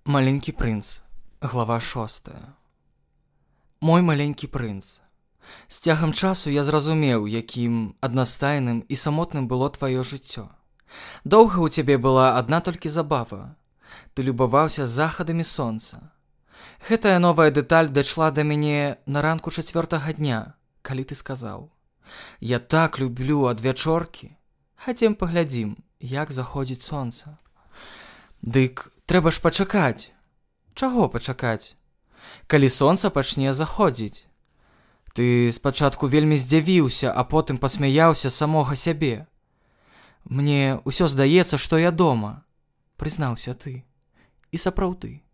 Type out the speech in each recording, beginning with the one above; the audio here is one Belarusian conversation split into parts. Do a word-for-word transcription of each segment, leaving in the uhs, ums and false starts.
Маленькі прынц. Глава шостая. Мой маленькі прынц. З цягам часу я зразумеў, якім аднастайным і самотным было тваё жыццё. Доўга ў цябе была адна толькі забава. Ты любаваўся захадамі сонца. Гэтая новая дэталь дайшла да мяне на ранку чацвёртага дня, калі ты сказаў: «Я так люблю адвячоркі. Хацем паглядзім, як заходзіць сонца». Дык трэба ж пачакаць. Чаго пачакаць? Калі сонца пачне заходзіць. Ты спачатку вельмі здзівіўся, а потым пасмяяўся самога сябе. Мне ўсё здаецца, што я дома, прызнаўся ты. І сапраўды.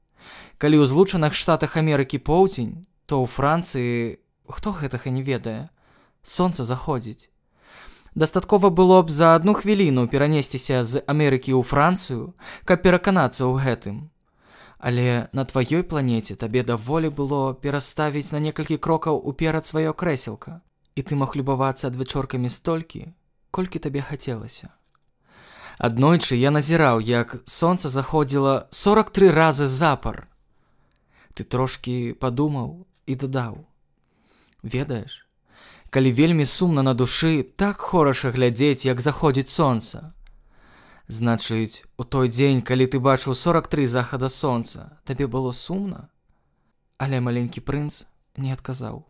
Калі ў Злучаных Штатах Амерыкі поўдзень, то ў Францыі, хто гэтага не ведае, сонца заходзіць. Дастаткова было б за адну хвіліну перанесціся з Амерыкі ў Францыю, каб пераканацца ў гэтым. Але на тваёй планеце табе даволі было пераставіць на некалькі крокаў уперад сваё крэселка, і ты мог любавацца адвячоркамі столькі, колькі табе хацелася. Аднойчы я назіраў, як сонца заходзіла сорак тры разы запар. Ты трошкі падумаў і дадаў: «Ведаеш, калі вельмі сумна на душы, так хораша глядзець, як заходзіць сонца. Значыць, у той дзень, калі ты бачыў сорак тры захада сонца, табе было сумна?» Але маленькі прынц не адказаў.